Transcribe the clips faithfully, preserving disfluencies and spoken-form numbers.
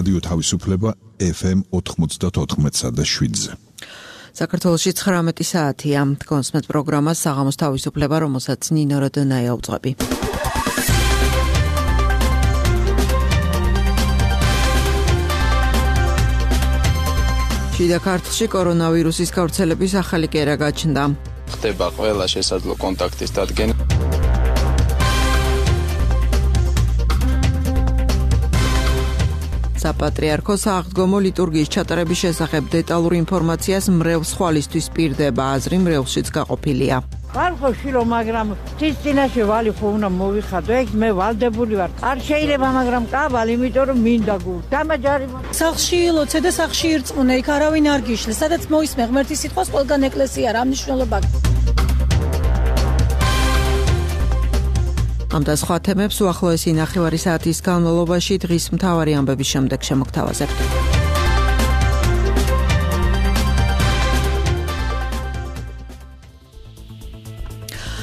რადიო თავისუფლება ეფ ემ ოთხმოცდაოთხ და შვიდზე. საქართველოში ცხრამეტი საათია. კონსმეთ პროგრამა საღამოს თავისუფლება, რომელსაც ნინო როდონაია უძღვები. შიდა ქართლში კორონავირუსის გავრცელების ახალი კერა გაჩნდა. ხდება ყველა შესაძლო კონტაქტის დადგენა. საპატრიარქოს აღდგომო ლიტურგიის ჩატარების შესახებ დეტალურ ინფორმაციას მრევლს ხვალისთვის პირდება, აზრი მრევლშიც გაყოფილია. ხალხო შილო, მაგრამ თის წინაშე ვალი ხო უნდა მოვიხადო, ეგ მე ვალდებული ვარ. არ შეიძლება, მაგრამ კაბალ, იმიტომ რომ მინდა გულ. დამაჯარი. სახლში ილოცე და სახლში ირწმუნე, იქ არავინ არ გიშლე, სადაც მოისმე ღმერთის სიტყვას ყველგან ეკლესია, რა მნიშვნელობა აქვს. ამ და სხვა თემებს უახლოესი ნახევარი საათის განმავლობაში დღის მთავარი ამბების შემდეგ შემოგთავაზებთ.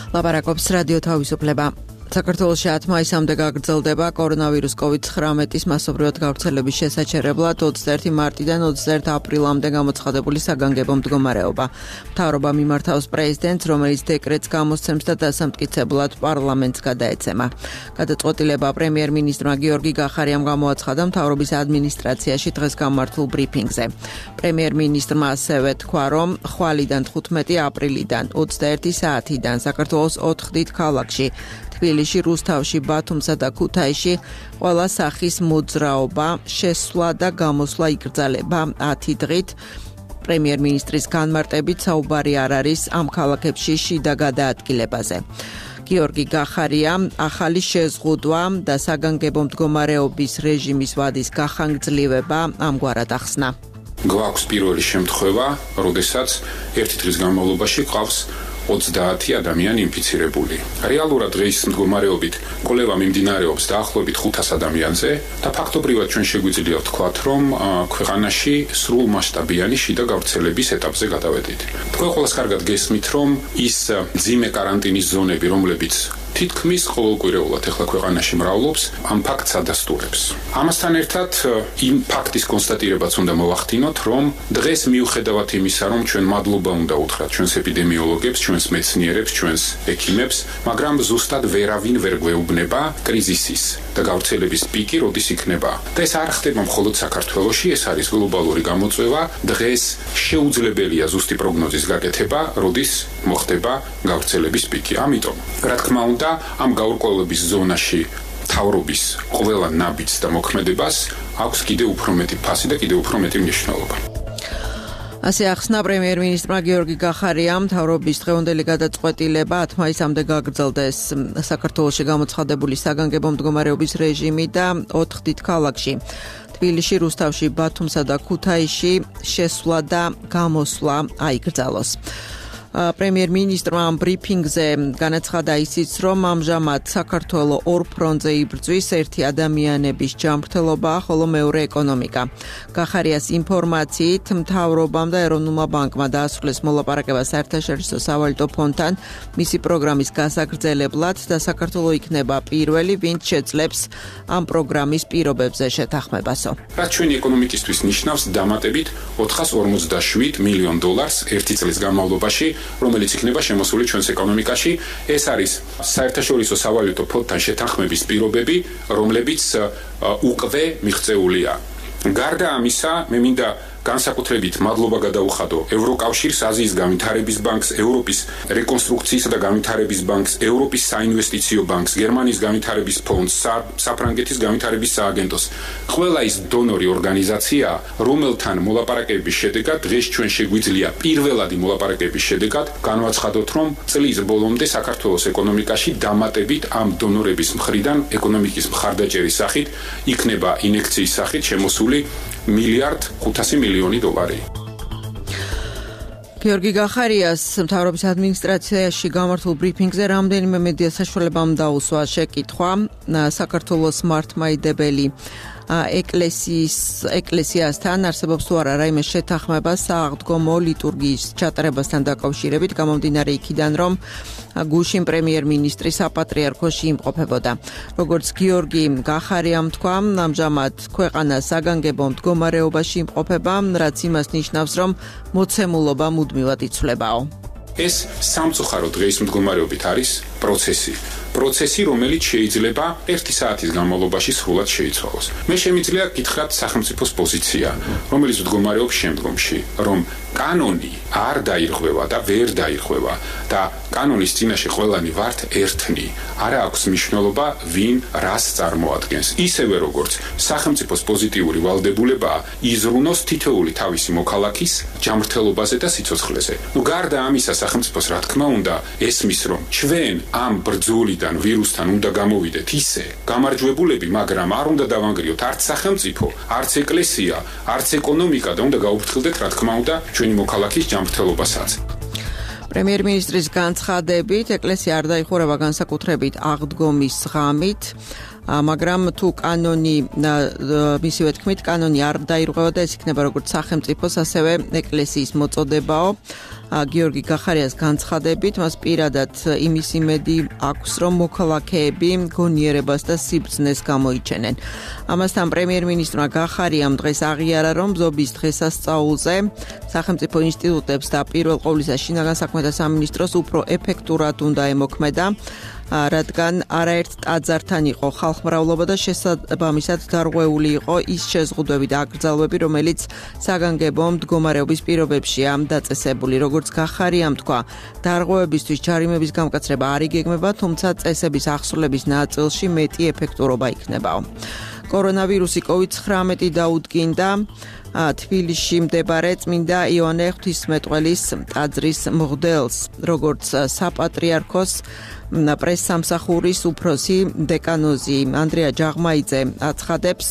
ლაპარაკობს რადიო თავისუფლება. საქართველოში ათი მაისამდე გაგრძელდება კორონავირუს კოვიდ ცხრამეტის მასობრივად გავრცელების შესაჩერებლად ოცდაერთი მარტიდან ოცდაერთი აპრილამდე გამოცხადებული საგანგებო მდგომარეობა. მთავრობა მიმართავს პრეზიდენტს, რომელიც დეკრეტს გამოსცემს და დასამტკიცებლად პარლამენტს გადაეცემა. გადაწყვეტილება პრემიერ-მინისტრმა გიორგი გახარიამ გამოაცხადა მთავრობის ადმინისტრაციაში დღეს გამართულ ბრიფინგზე. პრემიერ-მინისტრმა ასევე თქვა, რომ ხვალიდან თხუთმეტი აპრილიდან ოცდაერთი საათიდან საქართველოს ოთხ დიდ ქალაქში თბილისში, რუსთავში, ბათუმსა და ქუთაისში ყველა სახის მოძრაობა, შესვლა და გამოსვლა იკრძალება ათი დღით. პრემიერ-მინისტრის განმარტებით საუბარი არ არის ამ ქალაქებში შიდა გადაადგილებაზე. გიორგი გახარია ახალი შეზღუდვა და საგანგებო მდგომარეობის რეჟიმის ვადის გახანგრძლივება ამგვარად ახსნა. გვაქვს პირველი შემთხვევა, როდესაც ერთი დღის განმავლობაში ყავს ოცდაათი ადამიანი ინფიცირებული. რეალურად დღის მდგომარეობით კვლევა მიმდინარეობს დაახლოებით ხუთას ადამიანზე და ფაქტობრივად ჩვენ შეგვიძლია ვთქვათ, რომ ქვეყანაში სრულმასშტაბიანი შიდა გავრცელების ეტაპზე გადავედით. თქვენ ყველას კარგად გესმით, რომ ის მძიმე კარანტინის ზონები, რომლებიც თითქმის ყოველკვირეულად ახლა ქვეყანაში მრავლობს, ამ ფაქტს ადასტურებს. ამასთან ერთად იმ ფაქტის კონსტატირებაც უნდა მოვახდინოთ, რომ დღეს მიუხედავად იმისა, რომ ჩვენ მადლობა უნდა უთხრათ ჩვენს ეპიდემიოლოგებს, ჩვენს მეცნიერებს, ჩვენს ექიმებს, მაგრამ ზუსტად ვერავინ ვერ გვეუბნება კრიზისის და გავრცელების პიკი როდის იქნება. და ეს არ ხდება მხოლოდ საქართველოში, ეს არის გლობალური გამოწვევა. დღეს შეუძლებელია ზუსტი პროგნოზის გაკეთება, როდის მოხდება გავრცელების პიკი. ამიტომ, რა თქმა უნდა, ამ გაურკვევლობის ზონაში მთავრობის ყველა ნაბიჯს და მოქმედებას აქვს კიდევ უფრო მეტი ფასი და კიდევ უფრო მეტი მნიშვნელობა. ასე ახსნა პრემიერ-მინისტრმა გიორგი გახარიამ. მთავრობის დღევანდელი გადაწყვეტილება ათი მაისამდე გაგრძელდეს საქართველოში გამოცხადებული საგანგებო მდგომარეობის რეჟიმი და ოთხ დიდ ქალაქში თბილისში, რუსთავში, ბათუმსა და ქუთაისში შესვლა და გამოსვლა აიკრძალოს. პრემიერ-მინისტრმა ამ ბრიფინგზე განაცხადა ისიც, რომ ამჟამად საქართველოს ორ ფრონტზე იბრძვის, ერთი ადამიანების ჯანმრთელობა, ხოლო მეორე ეკონომიკა. გახარიას ინფორმაციით, მთავრობამ და ეროვნულმა ბანკმა დაასრულეს მოლაპარაკება საერთაშორისო სავალუტო ფონდთან მისი პროგრამის გასაგრძელებლად და საქართველოს იქნება პირველი, ვინც შეძლებს ამ პროგრამის პირობებზე შეთანხმებასო. რაც ჩვენი ეკონომიკისთვის ნიშნავს დამატებით ოთხას ორმოცდაშვიდ მილიონ დოლარს ერთი წლის განმავლობაში, რომელიც იქნება შემოსული ჩვენს ეკონომიკაში. ეს არის საერთაშორისო სავალუტო ფონდთან შეთანხმების პირობები, რომლებიც უკვე მიღწეულია. გარდა ამისა, მე მინდა განსაკუთრებით მადლობა გადაუხადო ევროკავშირს, აზიის განვითარების ბანკს, ევროპის რეკონსტრუქციისა და განვითარების ბანკს, ევროპის საინვესტიციო ბანკს, გერმანიის განვითარების ფონდს, საფრანგეთის განვითარების სააგენტოს. ყველა ის დონორი ორგანიზაცია, რომელთან მოლაპარაკების შედეგად დღეს ჩვენ შეგვიძლია პირველადი მოლაპარაკების შედეგად განვაცხადოთ, რომ წლის ბოლომდე საქართველოს ეკონომიკაში დამატებით ამ დონორების მხრიდან ეკონომიკის მხარდაჭერის სახით იქნება ინექციის სახით შემოსული მილიარდ ხუთასი მილიონი დოლარი. გიორგი გახარიას მთავრობის ადმინისტრაციაში გამართულ ბრიფინგზე რამდენიმე მედია საშუალებამ დაუსვა შეკითხვა. საქართველოს მართლმადიდებელი ეკლესიის ეკლესიასთან არსებობს თუ არა რაიმე შეთანხმება სააღდგომო ლიტურგიის ჩატარებასთან დაკავშირებით, გამომდინარე იქიდან, რომ გუშინ პრემიერ-მინისტრი საპატრიარქოში იმყოფებოდა. როგორც გიორგი გახარიამ თქვა, ამჟამად ქვეყანა საგანგებო მდგომარეობაში იმყოფება, რაც იმას ნიშნავს, რომ მოცემულობა მუდმივად იცვლებაო. ეს სამწუხარო დღის მდგომარეობით არის პროცესი. პროცესი, რომელიც შეიძლება ერთი საათის განმავლობაში სრულად შეიცვალოს. მე შემიძლია გითხრათ სახელმწიფოს პოზიცია, რომელიც მდგომარეობს შემდგომში, რომ კანონი არ დაირღვევა და ვერ დაირღვევა და კანონის წინაშე ყველანი ვართ ერთნი. არა აქვს მნიშვნელობა, ვინ რას წარმოადგენს. ისევე როგორც სახელმწიფოს პოზიტიური ვალდებულებაა იზრუნოს თითოეული თავისი მოქალაქის ჯანმრთელობაზე და სიცოცხლეზე. ნუ გარდა ამისა, სახელმწიფოს რა თქმა უნდა ესმის, რომ ჩვენ ამ ბრძოლიდან ვირუსთან უნდა გამოვიდეთ ისე გამარჯვებულები, მაგრამ არ უნდა დავანგრიოთ არც სახელმწიფო, არც ეკლესია, არც ეკონომიკა და უნდა გაუფრთხილდეთ რა თქმა უნდა ჩვენი მოქალაქის ჯანმრთელობასაც. პრემიერ-მინისტრის განცხადებით, ეკლესია არ დაიხურება განსაკუთრებით აღდგომის ღამით, მაგრამ თუ კანონი მისივე თქმით, კანონი არ დაირღვევა და ეს იქნება როგორც სახელმწიფოს, ასევე ეკლესიის მოწოდებაო. გიორგი გახარიას განცხადებით, მას პირადად იმის იმედი აქვს, რომ მოქალაქეები გონიერებას და სიბრძნეს გამოიჩენენ. ამასთან პრემიერ-მინისტრმა გახარიამ დღეს აღიარა, რომ ბზობის დღესასწაულზე სახელმწიფო ინსტიტუტებს და პირველ ყოვლისა შინაგან საქმეთა სამინისტროს უფრო ეფექტურად უნდა ემოქმედა, რადგან არაერთ ტაძართან იყო ხალხმრავლობა და შესაბამისად დარღვეული იყო ის შეზღუდვები და აკრძალვები, რომელიც საგანგებო მდგომარეობის პირობებშია დაწესებული. როგორც გახარიამ თქვა, დარღვევებისთვის ჯარიმების გამკაცრება არ იგეგმება, თუმცა წესების ახსნილების ნაწილში მეტი ეფექტურობა იქნებაო. კორონავირუსი კოვიდ ცხრამეტი დაუდგინდა თბილისში მდებარე წმინდა იოანე ღვთისმეტყველის ტაძრის მღვდელს, როგორც საპატრიარქოს პრესსამსახურის უფროსი დეკანოზი ანდრია ჯაღმაიძე აცხადებს,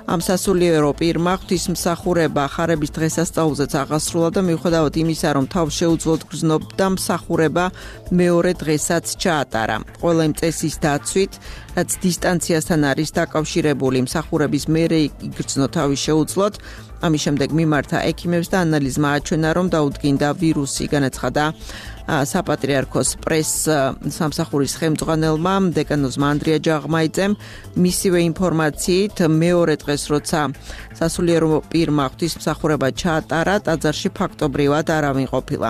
ამ სასულიერო პირმა ღვთისმსახურება ხარების დღესასწაულზეც აღასრულა და მიუხედავად იმისა, რომ თავს შეუძლოდ გრძნობდა, მსახურება მეორე დღესაც ჩაატარა. ყველა იმ წესის დაცვით, რაც დისტანციასთან არის დაკავშირებული, მსახურების მერე იგრძნო თავის შეუძლოდ. ამის შემდეგ მიმართა ექიმებს და ანალიზმა აჩვენა, რომ დაუდგინდა ვირუსი, განაცხადა საპატრიარქოს პრეს სამსახურის ხელმძღვანელმა დეკანოზმა ანდრია ჯაღმაიძემ. მისივე ინფორმაციით, მეორე დღეს, როცა სასულიერო პირმა ღვთისმსახურება ჩაატარა, ტაძარში ფაქტობრივად არავინ ყოფილა.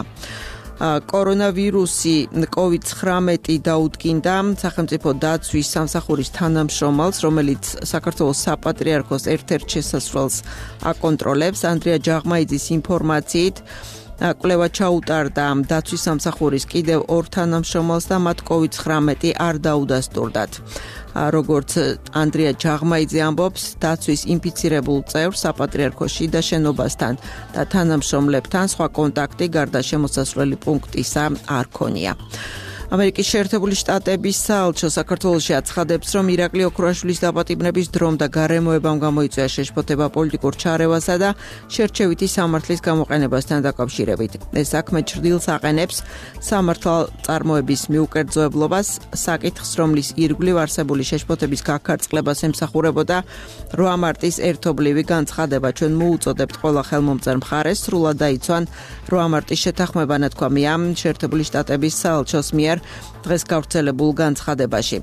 კორონავირუსი კოვიდ ცხრამეტი დაუდგინდა სახელმწიფო დაცვის სამსახურის თანამშრომელს, რომელიც საქართველოს საპატრიარქოს ერთ-ერთ შესასვლელს აკონტროლებს. ანდრია ჯაღმაიძის ინფორმაციით, კვლევა ჩაუტარდა დაცვის სამსახურის კიდევ ორ თანამშრომელს და მათ კოვიდ ცხრამეტი არ დაუდასტურდათ. როგორც ანდრია ჯაღმაიძე ამბობს, დაცვის ინფიცირებულ წევრს საპატრიარქოში და შენობასთან და თანამშრომლებთან სხვა კონტაქტი გარდა შემოსასვლელი პუნქტისა არ ქონია. ამერიკის შეერთებული შტატების საელჩო საქართველოში აცხადებს, რომ ირაკლი ოქროაშვილის დაპატიმრების დრომ და გარემოებამ გამოიწვია შეშფოთება პოლიტიკურ ჩარევასა და შერჩევითი სამართლის გამოყენებასთან დაკავშირებით. ეს საქმე ჩრდილს აყენებს სამართალწარმოების მიუკერძოებლობას, საკითხს, რომლის ირგვლივ არსებული შეშფოთების გაქარწყლებას ემსახურებოდა რვა მარტის ერთობლივი განცხადება. ჩვენ მოუწოდებთ ყველა ხელმომწერ მხარეს სრულად დაიცვან რვა მარტის შეთანხმება, ნათქვამია შეერთებული შტატების საელჩოს მიერ დღეს გავრცელებულ განცხადებაში.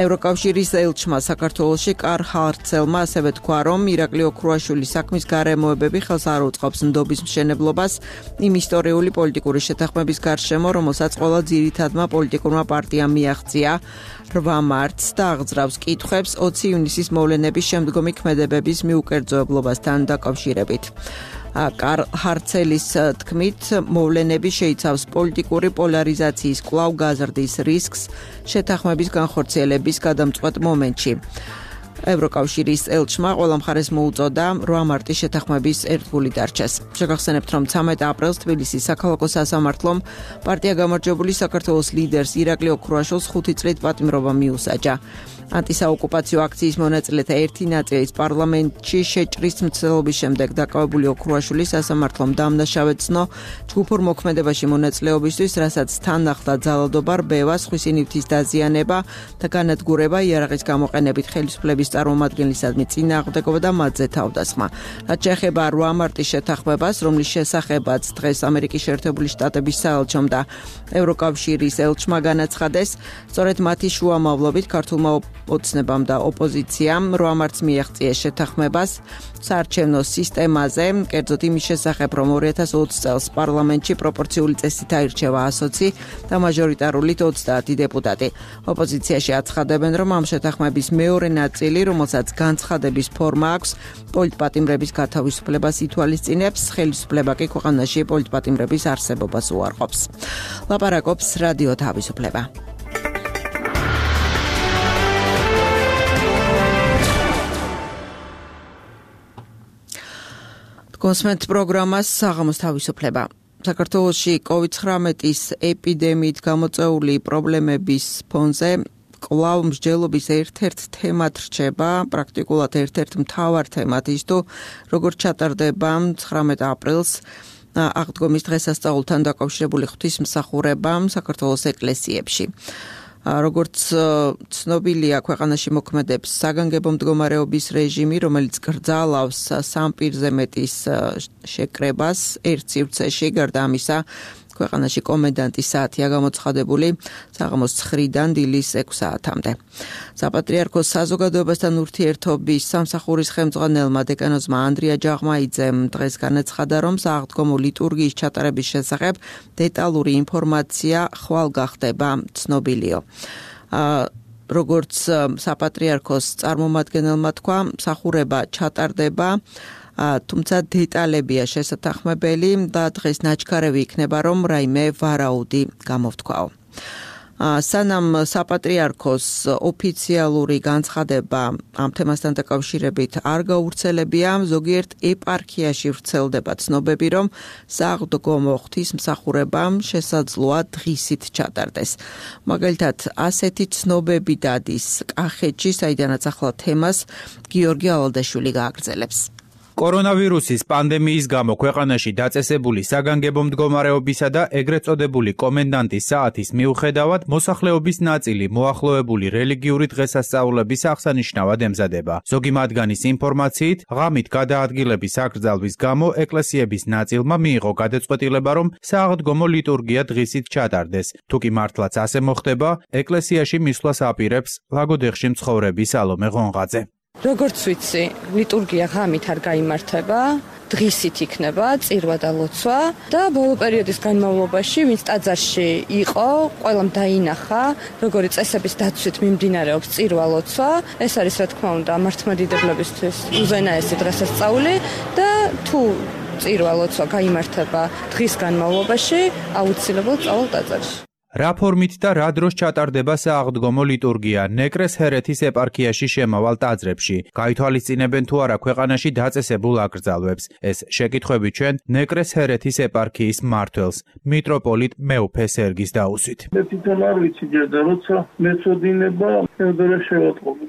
ევროკავშირის ელჩმა საქართველოში კარლ ჰარცელმა ასევე თქვა, რომ ირაკლი ოქროაშვილის საქმის გარემოებები ხელს არ უწყობს ნდობის მშენებლობას იმ ისტორიული პოლიტიკური შეთანხმების გარშემო, რომელსაც ყველა ძირითადმა პოლიტიკურმა პარტიამ მიაღწია რვა მარტს და აღძრავს კითხვებს ოცი ივნისის მოვლენების შემდგომი ქმედებების მიუკერძოებლობასთან დაკავშირებით. კარლ ჰარცელის თქმით, მოვლენები შეიცავს პოლიტიკური პოლარიზაციის კვლავ გაზრდის რისკს შეთანხმების განხორციელების გადამწყვეტ მომენტში. ევროკავშირის ელჩმა ყველა მხარეს მოუწოდა რვა მარტის შეთანხმების ერთგული დარჩეს. შეგახსენებთ, რომ ცამეტ აპრილს თბილისის საქალაქო სასამართლომ პარტია გამარჯვებული საქართველოს ლიდერს ირაკლი ოქროაშვილს ხუთი წლით პატიმრობა მიუსაჯა. ანტისაოკუპაციო აქციის მონაწილეთა ერთი ნაწილის პარლამენტში შეჭრის მცდელობის შემდეგ დაკავებული ოქროაშვილი სასამართლომ დამნაშავედ ცნო ჯგუფურ მოქმედებაში მონაწილეობისთვის, რასაც თან ახლდა ძალადობა, რბევა, სხვისი ნივთის დაზიანება და განადგურება იარაღის გამოყენებით ხელისუფლების წარმომადგენლისადმი წინააღმდეგობა და მათზე თავდასხმა. რაც შეეხება რვა მარტის შეთანხმებას, რომლის შესახებაც დღეს ამერიკის შეერთებული შტატების საელჩომ და ევროკავშირის ელჩმა განაცხადეს, სწორედ მათი შუამავლობით ქართულმა ოცნებამ და ოპოზიციამ რვა მარტს მიაღწიეს შეთანხმებას საარჩევნო სისტემაზე, კერძოდ იმის შესახებ, რომ ორი ათას ოცი წელს პარლამენტში პროპორციული წესით აირჩევა ასოცი და მაჟორიტარულით ოცდაათი დეპუტატი. ოპოზიციაში აცხადებენ, რომ ამ შეთანხმების მეორე ნაწილი, რომელსაც განცხადების ფორმა აქვს, პოლიტპატიმრების გათავისუფლებას ითვალისწინებს, ხელისუფლება კი ქვეყანაში პოლიტპატიმრების არსებობას უარყოფს. ლაპარაკობს რადიო თავისუფლება. კონსმენტ პროგრამას საღამოს თავისუფლება. საქართველოში კოვიდ ცხრამეტის ეპიდემიით გამოწვეული პრობლემების ფონზე კვლავ მსჯელობის ერთ-ერთ თემად რჩება, პრაქტიკულად ერთ-ერთ მთავარ თემად ის თუ როგორ ჩატარდება ცხრამეტ აპრილს აღდგომის დღესასწაულთან დაკავშირებული ღვთისმსახურება საქართველოს ეკლესიებში. როგორც ცნობილია, ქვეყანაში მოქმედებს საგანგებო მდგომარეობის რეჟიმი, რომელიც გრძალავს სამ პირზე მეტის შეკრებას ერთ სივრცეში. გარდა ამისა, ქვეყანაში კომენდანტის საათია გამოცხადებული საღამოს ცხრიდან დილის ექვს საათამდე. საპატრიარქოს საზოგადოებასთან ურთიერთობის სამსახურის ხელმძღვანელმა დეკანოზმა ანდრია ჯაღმაიძემ დღეს განაცხადა, რომ სააღდგომო ლიტურგიის ჩატარების შესახებ დეტალური ინფორმაცია ხვალ გახდება ცნობილიო. როგორც საპატრიარქოს წარმომადგენელმა თქვა, მსახურება ჩატარდება, თუმცა დეტალებია შესათანხმებელი და დღეს ნაჩქარევი იქნება, რომ რაიმე ვარაუდი გამოვთქვაო. სანამ საპატრიარქოს ოფიციალური განცხადება ამ თემასთან დაკავშირებით არ გავრცელებია, ზოგიერთ ეპარქიაში ვრცელდება ცნობები, რომ სააღდგომო ღვთისმსახურებამ შესაძლოა დღისით ჩატარდეს. მაგალითად, ასეთი ცნობები დადის კახეთში, საიდანაც ახლა თემას გიორგი ალალდაშვილი გააგრძელებს. კორონავირუსის პანდემიის გამო ქვეყანაში დაწესებული საგანგებო მდგომარეობისა და ეგრეთ წოდებული კომენდანტის საათის მიუხედავად, მოსახლეობის ნაწილი მოახლოებული რელიგიური დღესასწაულების აღსანიშნავად ემზადება. ზოგი მათგანის ინფორმაციით, ღამით გადაადგილების აკრძალვის გამო ეკლესიების ნაწილმა მიიღო გადაწყვეტილება, რომ სააღდგომო ლიტურგია დღისით ჩატარდეს. თუ კი მართლაც ასე მოხდება, ეკლესიაში მისვლას აპირებს ლაგოდეხში მცხოვრები სალომე ღონღაძე. როგორც ვიცი, ლიტურგია ღამით არ გაიმართება, დღისით იქნება წირვა და ლოცვა და ბოლო პერიოდის განმავლობაში, ვინც ტაძარში იყო, ყველამ დაინახა, როგორი წესების დაცვით მიმდინარეობს წირვა ლოცვა. ეს არის, რა თქმა უნდა, მართლმადიდებლებისთვის უზენაესი დღესასწაული და თუ წირვა ლოცვა გაიმართება დღის განმავლობაში, აუცილებლად წავალ ტაძარში. რა ფორმით და რა დროს ჩატარდება სააღდგომო ლიტურგია ნეკრეს ჰერეთის ეპარქიაში შემავალ ტაძრებში? გაითვალისწინებენ თუ არა ქვეყანაში დაწესებულ აკრძალვებს? ეს შეკითხვები ჩვენ ნეკრეს ჰერეთის ეპარქიის მმართველს, მიტროპოლიტ მეუფე სერგის დაუსვით. მე თვითონ არ ვიცი ჯერ და როცა მეწოდინება, მერდერე შევატყობი.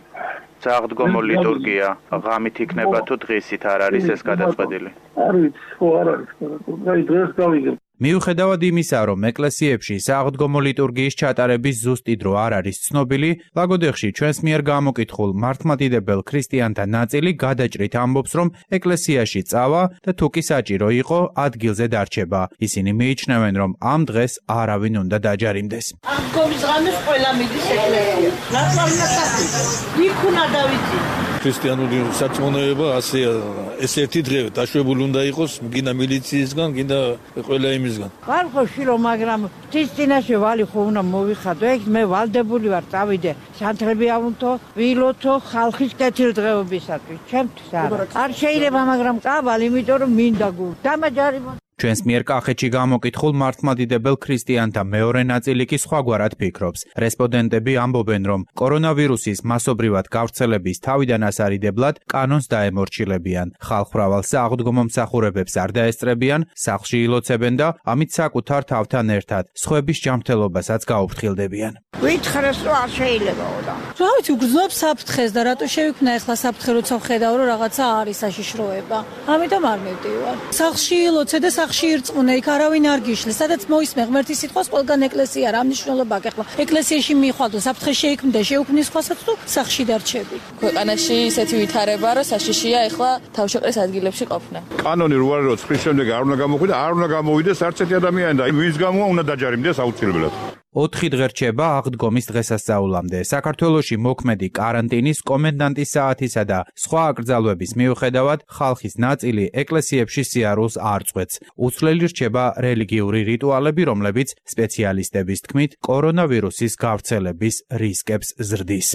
სააღდგომო ლიტურგია ღამით იქნება თუ დღისით არ არის ეს გადაწყვეტილი? არ ვიცი, ხო არ არის გადაწყვეტილი. აი დღეს გავიგებ. მიუხედავად იმისა, რომ ეკლესიებში სააღდგომო ლიტურგიის ჩატარების ზუსტი დრო არ არის ცნობილი, ლაგოდეხში ჩვენს მიერ გამოკითხულ მართლმადიდებელ ქრისტიანთა ნაწილი გადაჭრით ამბობს, რომ ეკლესიაში წავა და თუ კი საჭირო იყო, ადგილზე დარჩება. ისინი მიიჩნევენ, რომ ამ დღეს არავინ უნდა დაჯარიმდეს. აღდგომის ღამეს ყველა მიდის ეკლესიაში. რატომ უნდა საფი? იქ უნდა დავიცი. ქრისტიანული სარწმუნოება ასეა, ეს ერთი დღე დაშვებული უნდა იყოს, გინდა მილიციისგან, გინდა ყველა იმისგან. ვარ ხო შირო, მაგრამ ღვთის წინაშე ვალი ხო უნდა მოვიხადო, ეგ მე ვალდებული ვარ, წავიდე სანთლები ავნთო, ვილოთო ხალხის კეთილდღეობისათვის. ჩემთვის არა. არ შეიძლება, მაგრამ წავალ, იმიტომ რომ მინდა გულ. დამაჯარიმო. ჩვენს მიერ კახეთში გამოკითხულ მართლმადიდებელ ქრისტიანთა მეორე ნაწილი კი სხვაგვარად ფიქრობს. რესპონდენტები ამბობენ, რომ კორონავირუსის მასობრივად გავრცელების თავიდან ასარიდებლად კანონს დაემორჩილებიან. ხალხმრავალ სააღდგომო მსახურებებს არ დაესწრებიან, სახლში ილოცებენ და ამით საკუთარ თავთან ერთად სხვების ჯანმრთელობასაც გაუფრთხილდებიან. ვითხრეს რომ არ შეიძლებაო და. რა ვიცი, გრძნობ საფრთხეს და რატო შევიქნა ახლა საფრთხე, როცა ვხედავ რომ რაღაცა არის საშიშროება. ამიტომ არ მივდივარ. სახლში ილოცე და სახში ირწმუნა, იქ არავინ არ გიშლის, სადაც მოისმე ღმერთის სიტყვას, ყველგან ეკლესია რა მნიშვნელობა აქვს. ახლა ეკლესიაში მიხვალ და საფრთხე შეიქმნა, შეუქმნის ხვასაც თუ სახში დარჩები. ქვეყანაში ისეთი ვითარება, რომ საშიშია ახლა თავშეყრის ადგილებში ყოფნა. კანონი რო არის, რომ წრის შემდეგ არ უნდა გამოხვიდე, არ უნდა გამოვიდეს არც ერთი ადამიანი და ვის გამოა უნდა დაჯარიმდეს აუცილებლად. ოთხი დღე რჩება აღდგომის დღესასწაულამდე. საქართველოში მოქმედი კარანტინის, კომენდანტის საათისა და სხვა აკრძალვების მიუხედავად ხალხის ნაწილი ეკლესიებში სიარულს არ წყვეტს. უცვლელი რჩება რელიგიური რიტუალები, რომლებიც სპეციალისტების თქმით კორონავირუსის გავრცელების რისკებს ზრდის.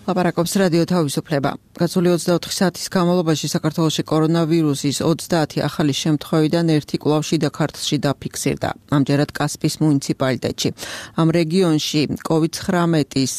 ლაპარაკობს რადიო თავისუფლება. გასული ოცდაოთხი საათის განმავლობაში საქართველოში კორონავირუსის ოცდაათი ახალი შემთხვევიდან ერთი კვლავ შიდა ქართლში დაფიქსირდა. ამჯერად კასპიის მუნიციპალიტეტში. ამ რეგიონში კოვიდ ცხრამეტის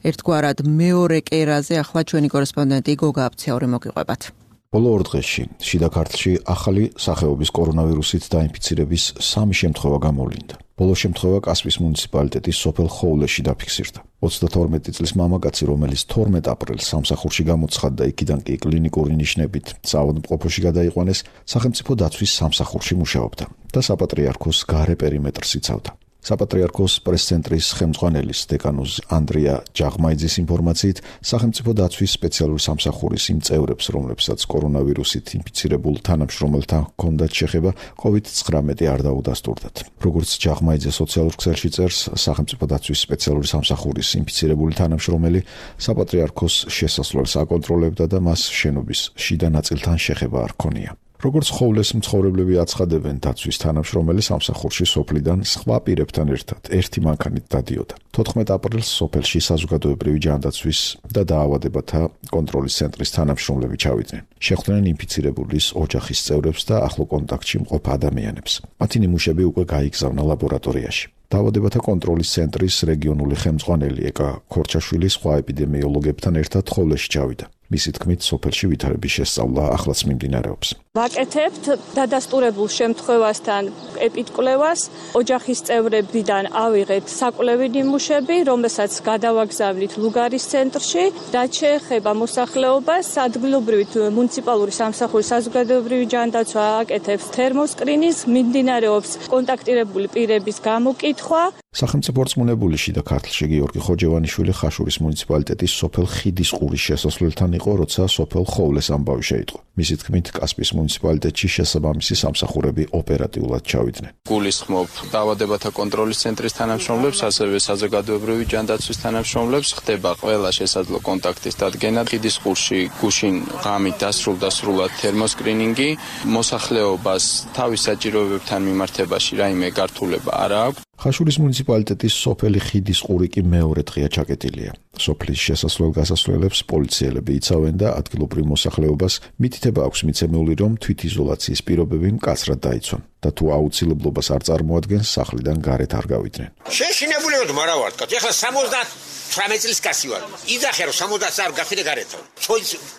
ერთგვარად მეორე კერაზე ახლა ჩვენი კორესპონდენტი გოგა აბცაური მოგიყვებათ. ბოლო ორ დღეში შიდა ქართლში ახალი სახეობის კორონავირუსით დაინფიცირების სამი შემთხვევა გამოვლინდა. ბოლო შემთხვევა კასპიის მუნიციპალიტეტის სოფელ ხოვლეში დაფიქსირდა. ოცდათორმეტი წლის მამაკაცი, რომელიც თორმეტ აპრილს სამსახურში გამოცხადდა, იქიდან კი კლინიკური ნიშნებით საავადმყოფოში გადაიყვანეს, სახელმწიფო დაცვის სამსახურში მუშაობდა და საპატრიარქოს გარე პერიმეტრს იცავდა. საპატრიარქოს პრესცენტრის ხელმძღვანელის დეკანოზ ანდრია ჯაღმაიძის ინფორმაციით, სახელმწიფო დაცვის სპეციალური სამსახურის იმ წევრებს, რომლებსაც კორონავირუსით ინფიცირებულ თანამშრომელთან ჰქონდათ შეხება, კოვიდ ცხრამეტი არ დაუდასტურდათ. როგორც ჯაღმაიძე სოციალურ ქსელში წერს, სახელმწიფო დაცვის სპეციალური სამსახურის ინფიცირებული თანამშრომელი საპატრიარქოს შესასვლელს აკონტროლებდა და მას შენობის შიდა ნაწილთან შეხება არ ჰქონია. როგორც ხოვლეს მცხოვრებლები აცხადებენ, დაცვის თანამშრომელი სამსახურში სოფლიდან სხვა პირებთან ერთად ერთი მანქანით დადიოდა. თოთხმეტ აპრილს სოფელში საზოგადოებრივი ჯანდაცვის და დაავადებათა კონტროლის ცენტრის თანამშრომლები ჩავიდნენ. შეხვდნენ ინფიცირებულის ოჯახის წევრებს და ახლო კონტაქტში მყოფ ადამიანებს. მათი ნიმუშები უკვე გაიგზავნა ლაბორატორიაში. დაავადებათა კონტროლის ცენტრის რეგიონული ხელმძღვანელი ეკა ქორჩაშვილი სხვა ეპიდემიოლოგებთან ერთად ხოვლეში ჩავიდა. მისი თქმით, სოფელში ვითარების შესწავლა ახლაც მიმდინარეობს. ვაკეთებთ დადასტურებულ შემთხვევასთან ეპიდკვლევას, ოჯახის წევრებიდან ავიღეთ საკვლევი ნიმუშები, რომელსაც გადავაგზავნით ლუგარის ცენტრში და შეეხება მოსახლეობას, ადგილობრივი მუნიციპალური სამსახურის საზოგადოებრივი ჯანდაცვა აკეთებს თერმოსკრინინგს, მიმდინარეობს კონტაქტირებული პირების გამოკითხვა. სახელმწიფო რწმუნებული შიდა ქართლში გიორგი ხოჯევანიშვილი ხაშურის მუნიციპალიტეტის სოფელ ხიდისყურის შესასვლელთან იყო, როცა სოფელ ხოვლეს ამბავი შეიტყო. მისი თქმით, კასპიის მუნიციპალიტეტში შესაბამისი სამსახურები ოპერატიულად ჩავიდნენ. გულისხმობ დაავადებათა კონტროლის ცენტრის თანამშრომლებს, ასევე საზოგადოებრივი ჯანდაცვის თანამშრომლებს, ხდება ყველა შესაძლო კონტაქტის დადგენა. ხიდისყურში გუშინ ღამით დასრულდა სრულად თერმოსკრინინგი, მოსახლეობას თავის საჭიროებებთან მიმართებაში რაიმე გართულება არ აქვს. ხაშურის მუნიციპალიტეტის სოფელი ხიდისყური კი მეორე დღეა ჩაკეტილია. სოფლის შესასვლელ-გასასვლელებს პოლიციელები იცავენ და ადგილობრივ მოსახლეობას მითითება აქვს მიცემული, რომ თვითიზოლაციის პირობები მკაცრად დაიცვან და თუ აუცილებლობას არ წარმოადგენს, სახლიდან გარეთ არ გავიდნენ. შეშინებული ვარ, მარა ვარ, ეხლა სამოცდათვრამეტი წლის კაცი ვარ. იძახე რომ სამოცდაათს არ გავხიდე გარეთ.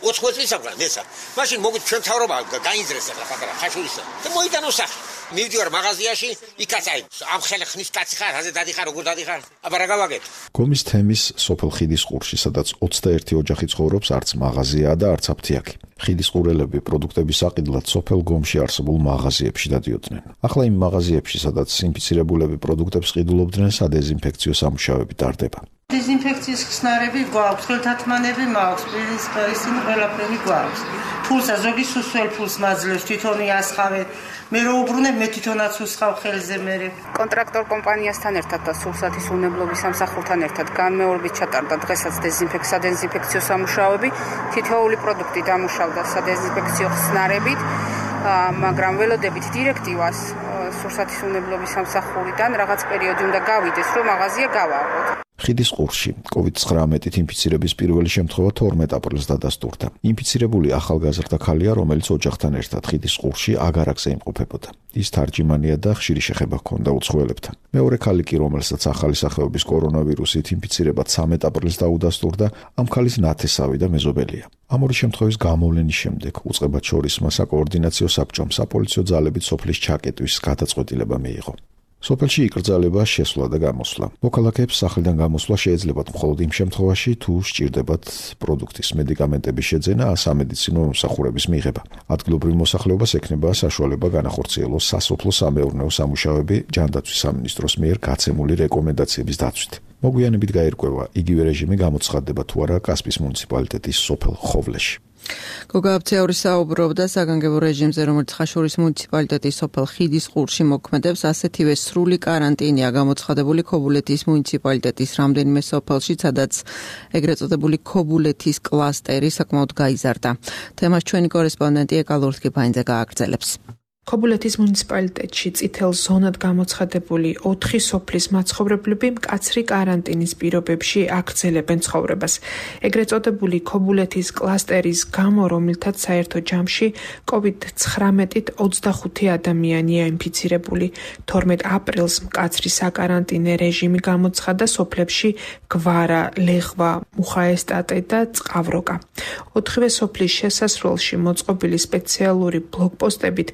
ოთხმოცი წლის აღარ მესა. მაშინ მოგით ჩვენ თავრობა გაინძრეს ახლა პატარა ხაშურისა. და მოიტანო სახი. მივდივარ მაღაზიაში, იქაც აი ამ ხელი ხნის კაცი ხარ, აზე დადიხარ, როგორ დადიხარ? აბა რა გავაკეთე? გომის თემის სოფელ ხიდისყურში, სადაც ოცდაერთი ოჯახი ცხოვრობს, არც მაღაზიაა და არც აფთიაქი. ხიდისყურელები პროდუქტების საყიდლად სოფელ გომში არსებულ მაღაზიებში დადიოდნენ. ახლა იმ მაღაზიებში, სადაც ინფიცირებულები პროდუქტებს ყიდულობდნენ, სადეზინფექციო სამუშაოები ტარდება. დეზინფექციის ხსნარები გვაქვს, ხელთათმანები მაქვს, ისინი ყველაფერი გვაქვს. ფულსა ზოგი სუსველ ფულს მაძლევს, თვითონ იასხავე. მე რო უბრუნებ, მე თვითონაც უსხავ ხელზე მერე. კონტრაქტორ კომპანიასთან ერთად და სურსათის უნებლობის სამსახურთან ერთად განმეორებით ჩატარდა დღესაც დეზინფექცია, დეზინფექციო სამუშაოები. თითოეული პროდუქტი დამუშავდა სადეზინფექციო ხსნარებით, მაგრამ ველოდებით დირექტივას სურსათის უნებლობის სამსახურიდან რაღაც პერიოდი უნდა გავიდეს, რომ მაღაზია გავაყოთ. ხიდისყურში კოვიდ ცხრამეტით ინფიცირების პირველი შემთხვევა თორმეტ აპრილს დადასტურდა. ინფიცირებული ახალგაზრდა ქალია, რომელიც ოჯახთან ერთად ხიდისყურში აგარაკზე იმყოფებოდა. ის თარჯიმანია და ხშირი შეხება ჰქონდა უცხოელებთან. მეორე ქალი კი, რომელსაც ახალი სახეობის კორონავირუსით ინფიცირება ცამეტ აპრილს დაუდასტურდა, ამ ქალის ნათესავი და მეზობელია. ამ ორი შემთხვევის გამოვლენის შემდეგ უწყებად შორისმა საკოორდინაციო საბჭომ საპოლიციო ძალებით სოფლის ჩაკეტვის გადაწყვეტილება მიიღო. სოფელში იკრძალება შესვლა და გამოსვლა. მოქალაქეებს სახლიდან გამოსვლა შეეძლებათ მხოლოდ იმ შემთხვევაში, თუ სჭირდებათ პროდუქტის, მედიკამენტების შეძენა, სამედიცინო მომსახურების მიღება. ადგილობრივ მოსახლეობას ექნება საშუალება განახორციელოს სასოფლო-სამეურნეო სამუშაოები ჯანდაცვის სამინისტროს მიერ გაცემული რეკომენდაციების დაცვით. მოგვიანებით გაირკვევა, იგივე რეჟიმი გამოცხადდება თუ არა კასპის მუნიციპალიტეტის სოფელ ხოვლეში. გოგა აფცეური საუბრობდა საგანგებო რეჟიმზე, რომელიც ხაშურის მუნიციპალიტეტის სოფელ ხიდისყურში მოქმედებს, ასეთივე სრული კარანტინია გამოცხადებული ქობულეთის მუნიციპალიტეტის რამდენიმე სოფელში, სადაც ეგრეთ წოდებული ქობულეთის კლასტერი საკმაოდ გაიზარდა. თემას ჩვენი კორესპონდენტი ეკა ლურთქიფაინძე გააგრძელებს. ქობულეთის მუნიციპალიტეტში წითელ ზონად გამოცხადებული ოთხი სოფლის მაცხოვრებლები მკაცრი კარანტინის პირობებში აგრძელებენ ცხოვრებას. ეგრეთ წოდებული ქობულეთის კლასტერის გამო, რომლითაც საერთო ჯამში კოვიდ ცხრამეტით ოცდახუთი ადამიანია ინფიცირებული. თორმეტ აპრილს მკაცრი საკარანტინე რეჟიმი გამოცხადა სოფლებში გვარა, ლეღვა, მუხაესტატე და წყავროკა. ოთხივე სოფლის შესასრულში მოწყობილი სპეციალური ბლოკპოსტებით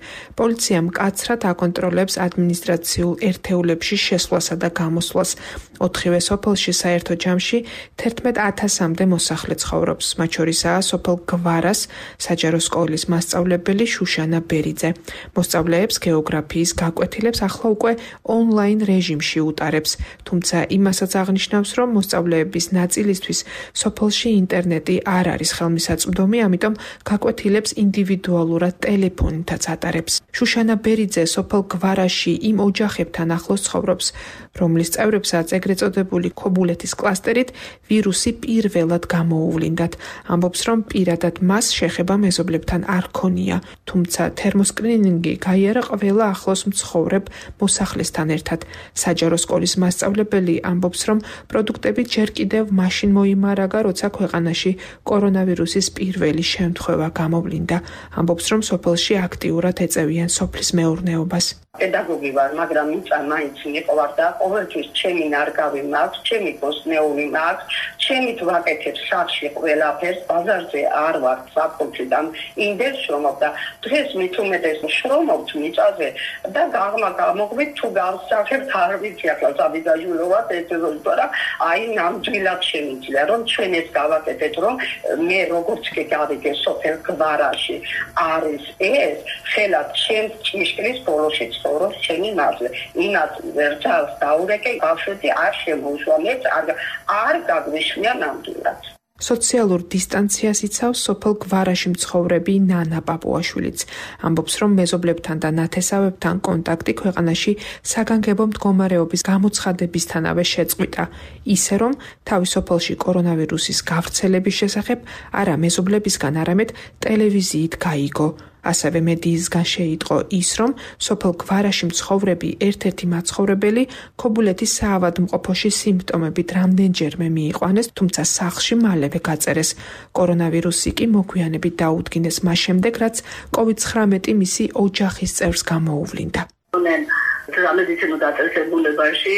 პოლიცია მკაცრად აკონტროლებს ადმინისტრაციულ ერთეულებში შესვლასა და გამოსვლას. ოთხივე სოფელში საერთო ჯამში თერთმეტ ათასამდე მოსახლე ცხოვრობს. მათ შორისაა სოფელ გვარას საჯარო სკოლის მასწავლებელი შუშანა ბერიძე. მოსწავლეებს გეოგრაფიის გაკვეთილებს ახლა უკვე ონლაინ რეჟიმში უტარებს. თუმცა იმასაც აღნიშნავს, რომ მოსწავლეების ნაწილისთვის სოფელში ინტერნეტი არ არის ხელმისაწვდომი, ამიტომ გაკვეთილებს ინდივიდუალურად ტელეფონითაც ატარებს. შუშანა ბერიძე სოფელ გვარაში იმ ოჯახებთან ახლოს ცხოვრობს, რომლის წევრებსაც ეგრეთ წოდებული ქობულეთის კლასტერით ვირუსი პირველად გამოუვლინდათ. ამბობს, რომ პირადად მას შეხება მეზობლებთან არ ქონია, თუმცა თერმოსკრინინგი გაიარა ყველა ახლოს მცხოვრებ მოსახლესთან ერთად. საჯარო სკოლის მასწავლებელი ამბობს, რომ პროდუქტები ჯერ კიდევ მაშინ მოიმარაგა, როცა ქვეყანაში კორონავირუსის პირველი შემთხვევა გამოვლინდა. ამბობს, რომ სოფელში აქტიურად ეწევიან სოფლის მეურნეობას. პედაგოგი ვარ, მაგრამ მიწა მაინც მიყვარ და ყოველთვის ჩემი ნარგავი მაქვს, ჩემი ბოსნეული მაქვს, ჩემი ვაკეთებ სახში ყველაფერს, ბაზარზე არ ვარ საფუძვლი და ინდეს შრომობ და დღეს მით უმეტეს შრომობთ მიწაზე და გაღმა გამოგვით თუ გავსახებთ არ ვიცი ახლა საბიზაჟულოვად ეცევა, აი ნამდვილად შემიძლია რომ ჩვენ ეს გავაკეთეთ, რომ მე როგორც კი გავიგე სოფელ გვარაში არის ეს ხელად ჩემს ჭიშკრის ბოლოშიც სწორობს ჩემი მაზლე. იმას ვერცალს დაურეკე, ბავშვები არ შემოუშვამეთ, არ არ გაგვიშლია ნამდვილად. სოციალურ დისტანციას იცავს სოფელ გვარაში მცხოვრები ნანა პაპუაშვილიც. ამბობს, რომ მეზობლებთან და ნათესავებთან კონტაქტი ქვეყანაში საგანგებო მდგომარეობის გამოცხადებისთანავე შეწყვიტა. ისე რომ თავის სოფელში კორონავირუსის გავრცელების შესახებ არა მეზობლებისგან, არამედ ტელევიზიით გაიგო. ასევე მედიისგან შეიტყო ის, რომ სოფელ გვარაში მცხოვრები ერთ-ერთი მაცხოვრებელი ქობულეთის საავადმყოფოში სიმპტომებით რამდენჯერმე მიიყვანეს, თუმცა სახლში მალევე გაწერეს. კორონავირუსი კი მოგვიანებით დაუდგინეს მას შემდეგ, რაც კოვიდ ცხრამეტი მისი ოჯახის წევრს გამოუვლინდა. სამედიცინო დაწესებულებაში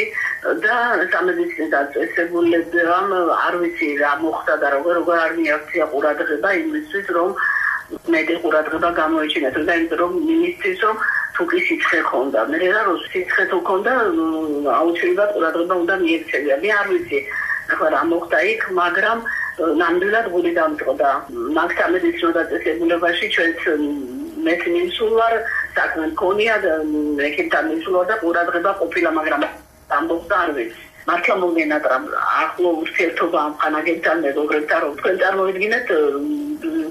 და სამედიცინო დაწესებულებამ არ ვიცი რა მოხდა და როგორ როგორ არ მიაქცია ყურადღება იმისთვის, რომ მეტი ყურადღება გამოიჩინეთ და იმიტომ რომ მინისტრის რომ თუ კი სიცხე ხონდა, მე რა რო სიცხე თუ ხონდა, აუცილებლად ყურადღება უნდა მიექცევია. მე არ ვიცი ახლა რა მოხდა იქ, მაგრამ ნამდვილად გული დამწყდა. მაგ სამედიცინო დაწესებულებაში ჩვენც მეც მისულვარ, საქმე მქონია და ეკეთთან მისულვარ და ყურადღება ყოფილა, მაგრამ ამბობდა არ ვიცი. მართლა მოგენატრა ახლო ურთიერთობა ამ ხანაგებთან მეგობრებთან, რომ თქვენ წარმოვიდგინეთ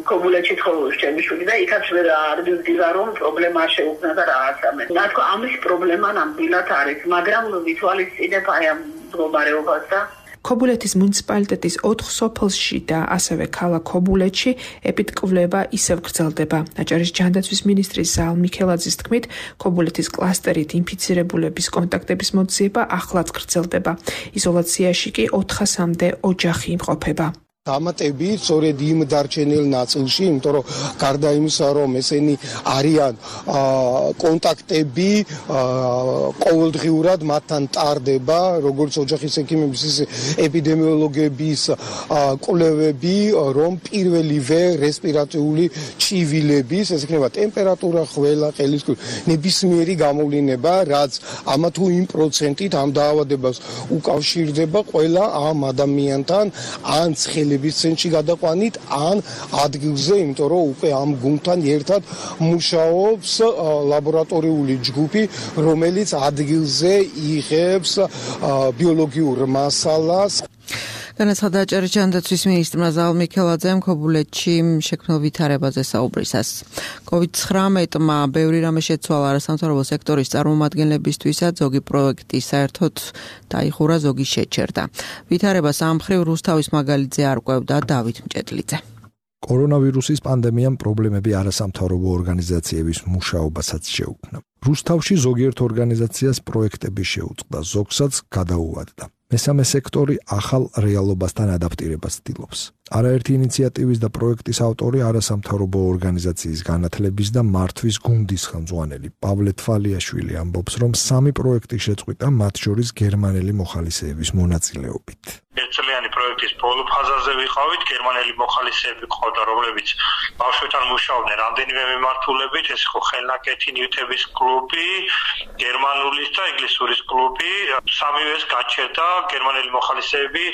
ქობულეთში ცხოვრობს ჩემი შვილი და იქაც ვერ არ ვიძინა რომ პრობლემა არ შეუქმნა და რაღაცა მე. რა თქმა ამის პრობლემა ნამდვილად არის, მაგრამ ვითვალისწინებ აი ამ მდგომარეობას და ქობულეთის მუნიციპალიტეტის ოთხ სოფელში და ასევე ქალაქ ქობულეთში ეპიდკვლევა ისევ გრძელდება. აჭარის ჯანდაცვის მინისტრის ზალ მიქელაძის თქმით, ქობულეთის კლასტერით ინფიცირებულების კონტაქტების მოძიება ახლაც გრძელდება. იზოლაციაში კი ოთხასამდე ოჯახი იმყოფება. დამატებით სწორედ იმ დარჩენილ ნაწილში, იმიტომ რომ გარდა იმისა, რომ ესენი არიან კონტაქტები, ყოველდღიურად მათთან ტარდება, როგორც ოჯახის ექიმების, ისე ეპიდემიოლოგების კვლევები, რომ პირველივე რესპირატორული ჩივილების, ეს იქნება ტემპერატურა, ხველა, ყელისკვრივი, ნებისმიერი გამოვლინება, რაც ამა თუ იმ პროცენტით ამ დაავადებას უკავშირდება ყველა ამ ადამიანთან, ან ცხელების ცენტრში გადაყვანით, ან ადგილზე, იმიტომ რომ უკვე ამ გუნდთან ერთად მუშაობს ლაბორატორიული ჯგუფი, რომელიც ადგილზე იღებს ბიოლოგიურ მასალას. განაცხადა ჭერის ჯანდაცვის მინისტრმა ზაალ მიქელაძემ ქობულეთში შექმნილ ვითარებაზე საუბრისას. კოვიდ ცხრამეტმა ბევრი რამე შეცვალა არასამთავრობო სექტორის წარმომადგენლებისთვისაც, ზოგი პროექტი საერთოდ დაიხურა, ზოგი შეჩერდა. ვითარებას ამ მხრივ რუსთავის მაგალითზე არკვევდა დავით მჭედლიძე. კორონავირუსის პანდემიამ პრობლემები არასამთავრობო ორგანიზაციების მუშაობასაც შეუქმნა. რუსთავში ზოგიერთ ორგანიზაციას პროექტები შეუწყდა, ზოგსაც გადაუვადდა. მესამე სექტორი ახალ რეალობასთან ადაპტირებას ცდილობს. არაერთი ინიციატივის და პროექტის ავტორი არასამთავრობო ორგანიზაციის განათლების და მართვის გუნდის ხელმძღვანელი პავლე თვალიაშვილი ამბობს, რომ სამი პროექტი შეწყვიტა, მათ შორის გერმანელი მოხალისეების მონაწილეობით. ერთწლიანი პროექტის ბოლო ფაზაზე ვიყავით, გერმანელი მოხალისეები ყავდა, რომლებიც ბავშვებთან მუშაობდნენ რამდენიმე მიმართულებით, ეს იყო ხელნაკეთი ნივთების კლუბი, გერმანულის და ინგლისურის კლუბი, სამივეს გაჩერდა, გერმანელი მოხალისეები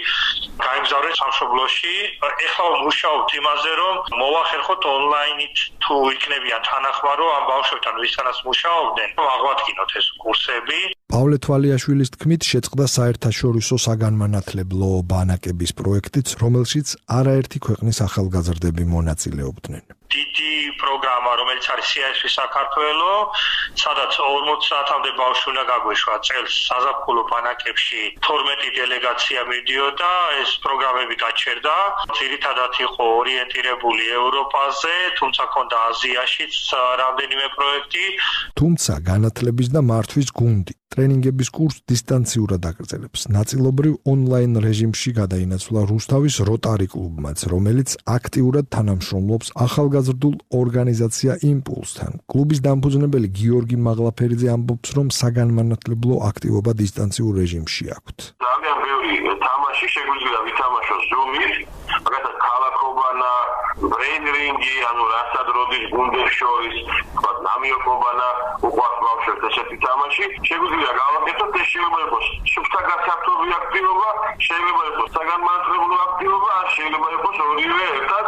გაემგზავრეს სამშობლოში. ეხლა მუშაობთ იმაზე, რომ მოვახერხოთ ონლაინით თუ იქნებიან თანახმარო ამ ბავშვებთან, ვისთანაც მუშაობდნენ, აღვადგინოთ ეს კურსები. პავლე თვალიაშვილის თქმით, შეწყდა საერთაშორისო საგანმანათლებლო ბანაკების პროექტიც, რომელშიც არაერთი ქვეყნის ახალგაზრდები მონაწილეობდნენ. დიდი პროგრამა, რომელიც არის სი ეს ვი საქართველო, სადაც ორმოცი საათამდე ბავშვი უნდა გაგვეშვა წელს საზაფხულო ბანაკებში თორმეტი დელეგაცია მიდიოდა, ეს პროგრამები გაჩერდა. ძირითადად იყო ორიენტირებული ევროპაზე, თუმცა ქონდა აზიაშიც რამდენიმე პროექტი. თუმცა განათლების და მართვის გუნდი ტრენინგების კურსს დისტანციურად აგრძელებს. ნაწილობრივ ონლაინ რეჟიმში გადაინაცვლა რუსთავის როტარი კლუბმაც, რომელიც აქტიურად თანამშრომლობს ახალგაზრდულ ორგანიზაცია იმპულსთან. კლუბის დამფუძნებელი გიორგი მაღლაფერიძე ამბობს, რომ საგანმანათლებლო აქტივობა დისტანციურ რეჟიმში აქვთ. ძალიან ბევრი თამაში შეგვიძლია ვითამაშოთ ზუმით, მაგალითად ქალაქობანა, ბრეინრინგი, ანუ რასაც როდის გუნდებს შორის, თქვათ ნამიოკობანა, უყვართ ბავშვებს ესეთი თამაში, შეგვიძლია გავაკეთოთ, ეს შეიძლება იყოს სუბსაგასართობი აქტივობა, შეიძლება იყოს საგანმანათლებლო აქტივობა, ან შეიძლება იყოს ორივე ერთად.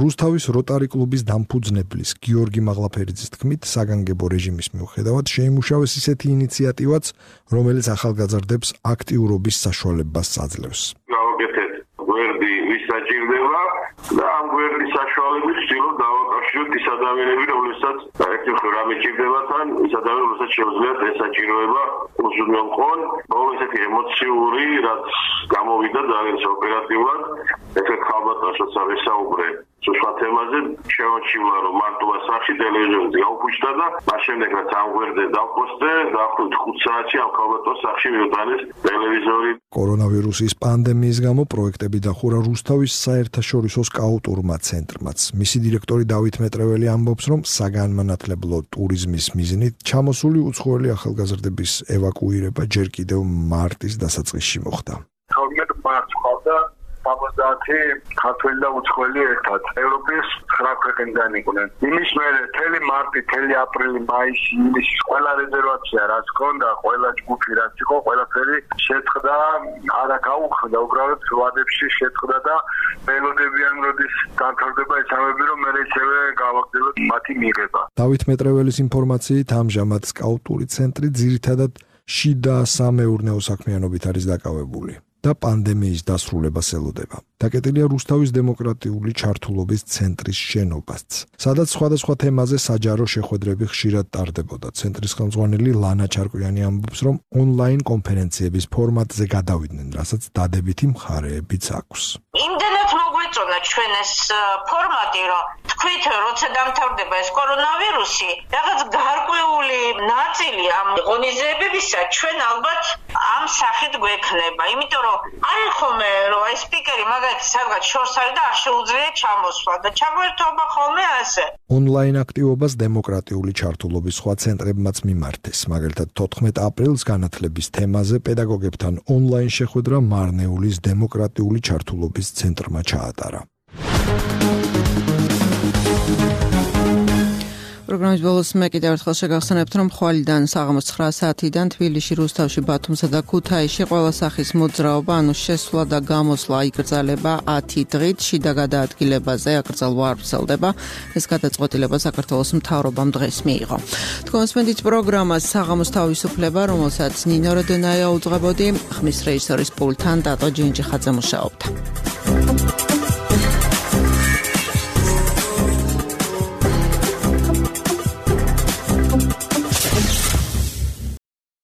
რუსთავის როტარი კლუბის დამფუძნებლის გიორგი მაღლაფერიძის თქმით, საგანგებო რეჟიმის მიუხედავად შეიმუშავეს ისეთი ინიციატივაც, რომელიც ახალგაზრდებს აქტიურობის საშუალებას აძლევს. გავაკეთეთ გვერდი ვის საჭირდება და ამ გვერდის საშუალებით ვცდილობ დავაკავშიროთ ის ადამიანები, რომლებსაც ერთერთ რამე ჭირდება თან, ის ადამიანები, რომელსაც შეუძლიათ ეს საჭიროება უზრუნველყონ. ბოლო ესეთი ემოციური, რაც გამოვიდა ძალიან ოპერატიულად, ესე ხალბატონსაც ავისაუბრე სხვა თემაზე, შემოჩივლა, რომ მარტოა სახში ტელევიზორზე გაუქმდა და მას შემდეგ რაც ამ გვერდზე დავპოსტე, დაახლოებით ხუთ საათში ამ ხალბატონს სახში მივიტანეს ტელევიზორი. კორონავირუსის პანდემიის გამო პროექტები დახურა რუსთავის საერთაშორისო სკაუტურმა ცენტრმაც. მისი დირექტორი დავით მეტრეველი ამბობს, რომ საგანმანათლებლო ტურიზმის მიზნით ჩამოსული უცხოელი ახალგაზრდების ევაკუირება ჯერ კიდევ მარტის დასაწყისში მოხდა. თორმეტ მარტს ყავდა სამოცდაათი ქართველი და უცხოელი ერთად. ევროპის ცხრა ქვეყნიდან იყვნენ. იმის მერე მთელი მარტი, მთელი აპრილი, მაისი, ივნისი, ყველა რეზერვაცია რაც ჰქონდა, ყველა ჯგუფი რაც იყო, ყველაფერი შეწყდა, არა გაუხდა, უბრალოდ ვადებში შეწყდა და მელოდებიან როდის განთავდება ეცამები, რომ მერე ისევე გავაგრძელოთ მათი მიღება. დავით მეტრეველის ინფორმაციით, ამჟამად სკაუტური ცენტრი ძირითადად შიდა სამეურნეო საქმიანობით არის დაკავებული და პანდემიის დასრულებას ელოდება. დაკეტილია რუსთავის დემოკრატიული ჩართულობის ცენტრის შენობაც, სადაც სხვადასხვა თემაზე საჯარო შეხვედრები ხშირად ტარდებოდა. ცენტრის ხელმძღვანელი ლანა ჩარკვიანი ამბობს, რომ ონლაინ კონფერენციების ფორმატზე გადავიდნენ, რასაც დადებითი მხარეებიც აქვს. იმდენად მოგვიწონა ჩვენ ეს ფორმატი, რომ თქვით, როცა დამთავრდება ეს კორონავირუსი, რაღაც გარკვეული ნაწილი ამ ღონისძიებებისა ჩვენ ალბათ ამ სახით გვექნება, იმიტომ რომ არის ხოლმე რომ ეს სპიკერი მაგალითად სადღაც შორს არის და არ შეუძლია ჩამოსვლა და ჩაგვერთობა ხოლმე ასე. ონლაინ აქტივობას დემოკრატიული ჩართულობის სხვა ცენტრებმაც მიმართეს. მაგალითად თოთხმეტ აპრილს განათლების თემაზე პედაგოგებთან ონლაინ შეხვედრა მარნეულის დემოკრატიული ჩართულობის ცენტრმა ჩაატარა. პროგრამის ბოლოს მე კიდევ ერთხელ შეგახსენებთ, რომ ხვალიდან საღამოს ცხრა საათიდან თბილისში, რუსთავში, ბათუმსა და ქუთაისში ყველა სახის მოძრაობა, ანუ შესვლა და გამოსვლა იკრძალება ათი დღით, შიდა გადაადგილებაზე აკრძალვა არ ვრცელდება. ეს გადაწყვეტილება საქართველოს მთავრობამ დღეს მიიღო. თქვენსმენდით პროგრამას საღამოს თავისუფლება, რომელსაც ნინო როდენაია უძღვებოდი, ხმის რეჟისორის პულტთან დატო ჯინჯიხაძე მუშაობდა.